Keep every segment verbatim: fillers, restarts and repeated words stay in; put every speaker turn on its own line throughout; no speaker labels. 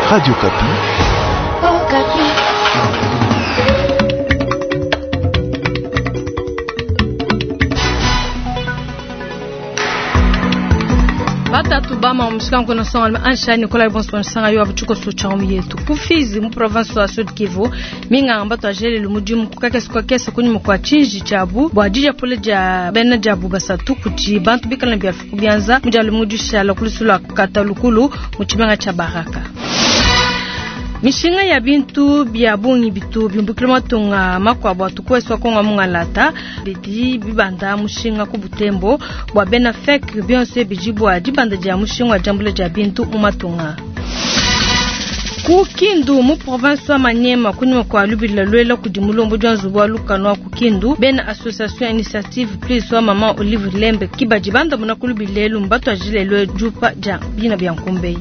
Radio Okapi.
Oh, Okapi.
Batatu bama omushikango no songa ansha Nicolas Bonson sanga yo abuchuko so chamu yetu kufizi mu province wa Sud Kivu minga amba twajele lumudimu kukake kwa kesa kunyi kwa chinji chabu bwa pole ja bena jabu basatu kuti bantu bikala bya byanza mujalo mudisha kulusula katalukulu mu chimenga cha Baraka. Mishinga ya bintu bya bungi bitu bimbukile matunga makwabo atukweswa konga mungalata bidi bibanda mushinga ku butembo bwa bena fek bionse bijibwa dibanda dia mushinga jambule dia bintu mu matunga. Ku Kindu mu province wa Maniema kunyuma kwa lubila lwela kudi mulombo jwa nzubu wa lukano wa ku Kindu bena association initiative plus wa mama Olive Lembe kibaji banda muna kulubilelu mbatu ajile lwe jupa ja bina bya nkumbei.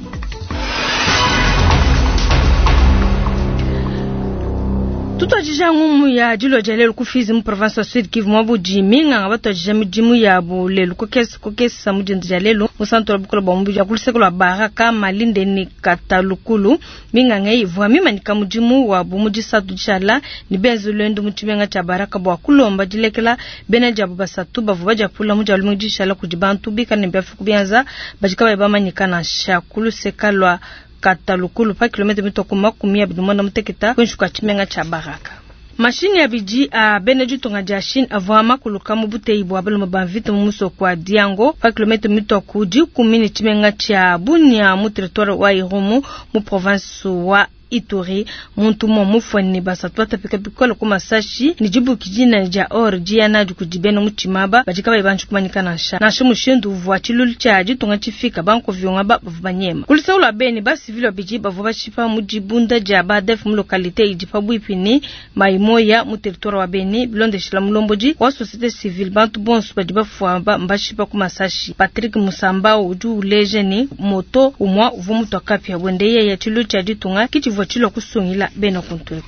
Tutwajija ngumu ya dilo ja lelu kufizi mu province wa Sud Kivu mwabu minga nga batwajija midimu ya bu lelu kokesa kokesa mudindu ja lelu mu santo la bukola bwa mubi ya kuluseko lwa Baraka Malinde ni Katalukulu minga ngai ivua mimanika mudimu wa bu mudisatu dishala ni benzu lwendu mu tshimenga tshia Baraka bwa kulomba dilekela bena jabu basatu bavu baja pula mu jalu mudishala kudi bantu bikala ne byafuku byanza bajika bayi bamanyika nansha kuluseka lwa Katalukulu pa kilomita mitoko makumi abiri mwanda muteketa kwinshi kwa tshimenga tsha Baraka. Mashini ya biji a bene ditunga dia Chine avua makuluka mu buteyi bwa balume ba mvita mu musoko wa Diango pa kilomita mitoko dikumi ne tshimenga tshia Bunia mu territoire wa Irumu mu province wa Ituri. Muntu mo mufwani basatu batapika bikola ku masashi ni jibuki jina ja or jiana dikudi bena muchimaba bajika bayi bantu kumanyika nansha nansha mushindu uvua tshilulu tshia ditunga tshifika banko vyonga ba bavu banyema kulisaula beni ba civil biji bavu bashipa mu dibunda dia ba def mu localité idi pabuipi ni maimoya mu territoire wa Beni bilondeshela mulomboji wa société civile bantu bonso badi bafua ba mbashipa ku masashi. Patrick Musamba udi uleje ni moto umwa uvua mutu akapia bwende yeye tshilulu tshia ditunga kichi vochilo kusungila beno kuntweko.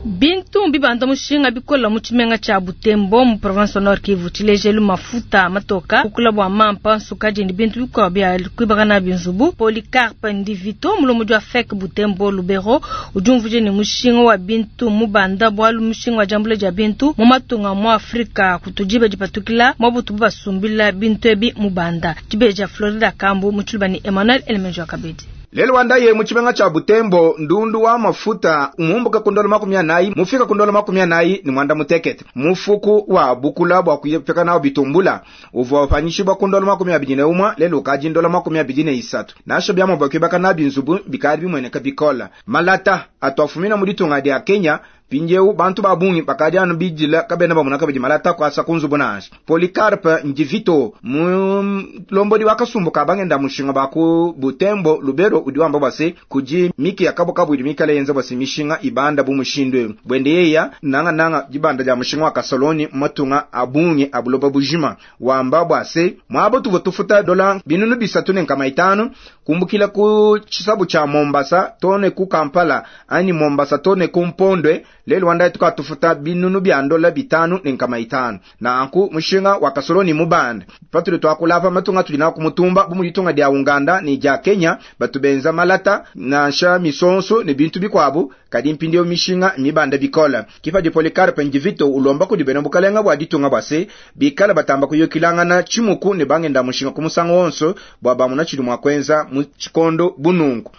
Bintu mbibanda mushinga bikola mu tshimenga tsha Butembo mu province Nord Kivu tshilejelu mafuta matoka kukula bwa mampa nsukadi ni bintu bikwa bya kwibaka na binzubu. Polycarpe Ndivito mulomo jwa F E C Butembo Lubero ujumvuje ni mushinga wa bintu mubanda bwalu mushinga wa jambule ja bintu mu matunga mu Afrika kutujiba jipatukila mwa butu basumbila bintu ebi mubanda. Tibeja Florida Kambu mu tshilubani Emmanuel Elemenjo Kabedi.
Lelo wandaye mu tshimenga tsha Butembo ndundu wa mafuta mumbuka kundola makumi anayi mufika kundola makumi anayi ni mwanda mutekete mufuku wa bukula bwa kuyepeka nawo bitumbula uvua upanyishibwa kundola makumi abidi ne umwa lelo kaji ndola makumi abidi ne isatu nasho byamo bwa kuyebaka na binzubu bikali bimweneka bikola malata atwafumina mu ditunga dia Kenya pinjeu bantu babungi bakadi anu bijila kabena bamuna kabidi malata kwasa kunzubu nansha. Polycarpe Ndivito mulombodi wa kasumbu kabangenda mushinga baku Butembo Lubero udi wamba bwase kuji miki ya kabo kabu mikale yenza bwase mishinga ibanda bu mushindwe bwende yeya nanga nanga jibanda ja mushinga wa kasoloni matunga abungi abuloba bujima wamba bwase mwabo tuvo tufuta dola binunu bisatu ne nkama itano kumbukila ku chisabu cha Mombasa tone ku Kampala ani Mombasa tone ku Mpondwe lelo wanda tukatufuta binunu bya ndola bitanu ne nkama itano na anku mushinga wa kasoloni mubanda patuli twakulapa matunga tulina kumutumba bumulitunga dia Uganda ni ja Kenya batubenza malata nansha misonso ne bintu bikwabu kadi mpindio mishinga mibanda bikola kifa di Polycarpe Ndivito ulomba kudi bena bukalenga bwa ditunga bwase bikala batamba kuyokilangana chimuku ne bangenda mushinga kumusango wonso bwa bamuna chili mwa kwenza mu chikondo bunungu.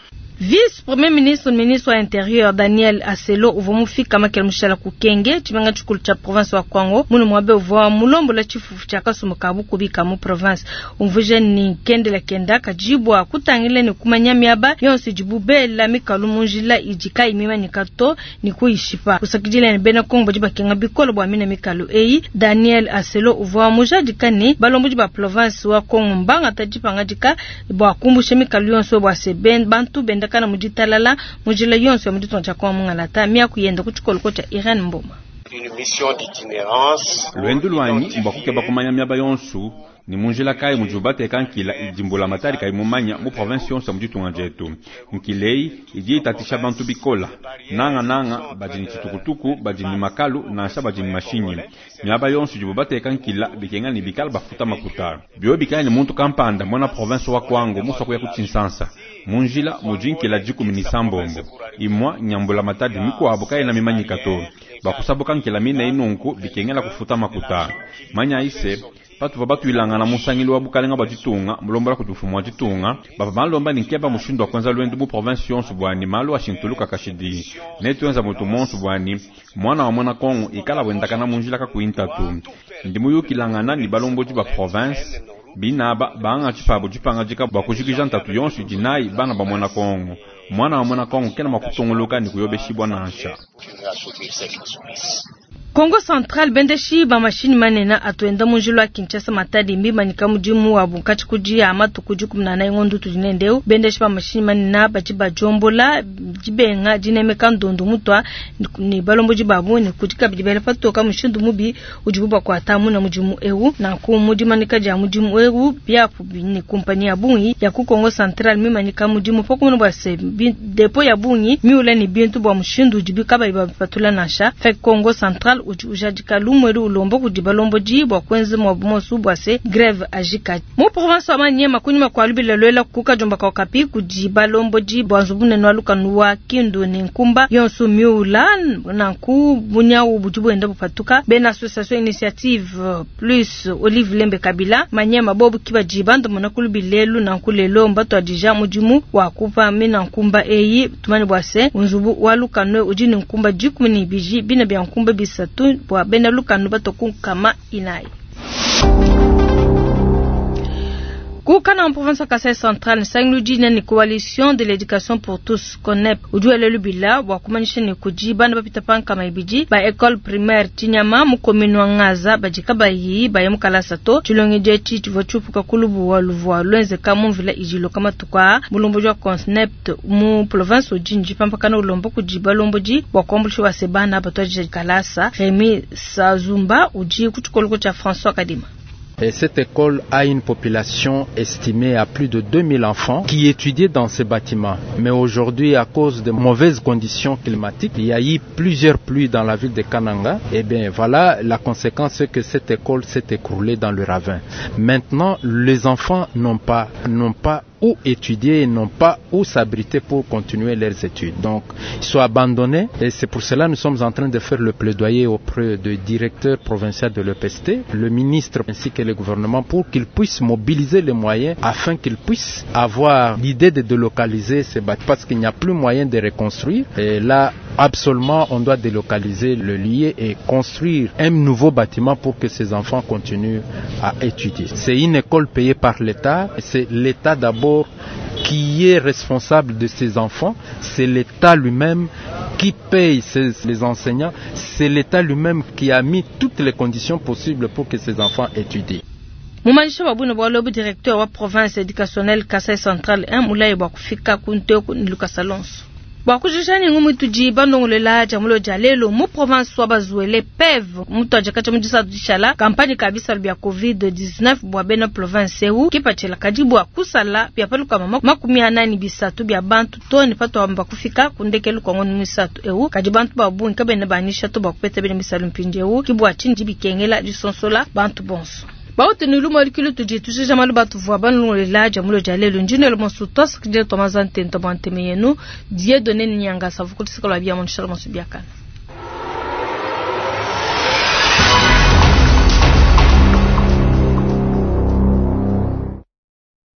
Vice Premier ministre ministre wa Intérieur Daniel Aselo uvua mufika makela mushala kukenge tshimenga tshikulu tsha province wa Kwango munu mwabe uvua mulombola tshifufu tshia kasumbu ka bukubika mu province umvuje ni kendela kenda kajibwa kutangila ni kumanya miaba yonso idibubela mikalu mu njila idi kayi mimanyika to ni kuyishipa kusakidila ni bena Kongo badi bakenga bikolo bua mina mikalu eyi. Daniel Aselo uvua mujadika ni balombodi ba province wa Kongo mbanga tadipanga bua kumbusha mikalu yonso bua se ben bantu benda kana muditalala mujila yonso ya muditonja kwa mungalata mia kuyenda ku tshikolo tshia Irene Mboma.
Lwendu lwanyi mbwa kukeba kumanya miaba yonso ni munjila kayi mudibu bateka nkila idi mbulamatadi kayi mumanya mu province yonso ya mu ditunga dietu. Nkila eyi idi itatisha bantu bikola, nangananga badi ne tshitukutuku, badi ne makalu nansha badi ne mashinyi. Miaba yonso idibu bateka nkila bikenga ne bikala bafuta makuta. Bio bikala ne muntu kampanda muena province wa Kwango musua kuya ku Tshinsansa, mu njila mudi nkila dikumi ne isambombo. Imua nya mbulamatadi mikuabu kayena mimanyika to. Bakusabuka nkila mine inunku bikengela kufuta makuta. Manya ise patuvua batuilangana musangilu wa bukalenga bua ditunga mulombola kudi mfumu wa ditunga bavua balomba ne nkeba mushindu wa kuenza lwendu mu province yonso bwani malu ashintuluka kashidi netuenza mutu monso bwani mwana wa muena Kongo ikala wendakana mu njila kakuyi ntatu. Ndi muyukilangana ne balombodi ba province binaba bangatshi pabu dipangadika bua kujikija ntatu yonso idi nayi bana ba muena Kongo. Mwana wa muena Kongo kena mua kutunguluka ne kuyobeshibua nansha.
Kongo Central bendeshi ba mashini manene atuenda mu njila wa Kinshasa Matadi mbimanyika mudimu wabu nkatshi kudi ya matuku dikumi na anayi ngondo tudi nendeu. Bendeshi ba mashini manene badi badiombola dibenga dinemeka ndondo mutwa ne balombodi babu ne kudi kabidi bela patoka mushindu mubi udibu bakuata muna mudimu eu. Nanku mu dimanika dia mudimu eu biapu ne kumpani ya bungi ya ku Kongo Central mimanyika mudimu pakumuna bua se depo ya bungi miula ne bintu bua mushindu udibu kabayi bapatula nansha. Fek Kongo Central udi ujadika lumwelu ulombo kudi balombodi bua kuenza mwabu monso bua se greve ajika. Mu province wa Maniema kunyima kua lubila lwela ku kajumba ka Okapi kudi balombodi bua nzubu munene wa lukanu wa Kindu ne Nkumba yonso miula nanku bunyawu budi buenda bupatuka. Bena association initiative plus Olive Lembe Kabila Maniema bobu kibadi bandu ku lubilelu nanku lelo mbatuadija mudimu wa kupa mina nkumba eyi tumani bua se nzubu wa lukanu udi ne nkumba dikumi ne ibidi bina bia nkumba bisatu bua bena lukanu batoku kama inayi. Kukana en province Kasaï Central, nsangilu ne coalition de l'éducation pour tous CONEP udi lubila bua kumanyisha ne kudi bana bapita pa nkama ibidi ba école primaire Tinyama mu commune wa Ngaza badi kabayi baye mu kalasa to. Tshilongedi etshi tshivua tshiupuka ku lubuwa luvua lwenzeka mu mvula idiloka matuku aa. Mulombodi wa CONEP mu province udi ndipampakana ulomba kudi balombodi bua kuambuluisha bua se bana batuadija kalasa. Remy Sazumba udi ku tshikoloko tshia François Kadima.
Et cette école a une population estimée à plus de deux mille enfants qui étudiaient dans ces bâtiments. Mais aujourd'hui, à cause de mauvaises conditions climatiques, il y a eu plusieurs pluies dans la ville de Kananga. Et bien voilà, la conséquence c'est que cette école s'est écroulée dans le ravin. Maintenant, les enfants n'ont pas, n'ont pas où étudier et n'ont pas où s'abriter pour continuer leurs études. Donc, ils sont abandonnés et c'est pour cela que nous sommes en train de faire le plaidoyer auprès du directeur provincial de l'E P S T, le ministre ainsi que le gouvernement pour qu'ils puissent mobiliser les moyens afin qu'ils puissent avoir l'idée de délocaliser ces bâtiments parce qu'il n'y a plus moyen de reconstruire. Et là, absolument, on doit délocaliser le lieu et construire un nouveau bâtiment pour que ces enfants continuent à étudier. C'est une école payée par l'État. C'est l'État d'abord qui est responsable de ces enfants, c'est l'État lui-même qui paye ses, les enseignants, c'est l'État lui-même qui a mis toutes les conditions possibles pour que ces enfants étudient.
Mumanyisha wa buna bwa lobu directeur wa province éducationnelle Kasaï Central un mulayi bwa kufika kunte ku Lucas Alonso. Bwa kujijani ngumu tudi bandongolela jamulo jalelo mu province wa Bazuele P E V mutu ajakata mudisa dishala kampani kabisa bya covid dix-neuf bwa bena province eu kipachela kadi bwa kusala bya paluka mama makumi anani bisatu bya bantu toni pato amba kufika kundekelu kwa ngoni misatu eu kadi bantu ba bungi kabena banisha to bakupeta bena misalu mpindi eu kibwa chindi bikengela disonsola bantu bonso. Bauti ni lumo likilu tudi tujija malu batu vwa banungolela jamulo jalelo njino le monsu tos kije tomazante ntomante meyenu Dieudonné Nyanga savukulisika lwa bia monshalo monsu biakana.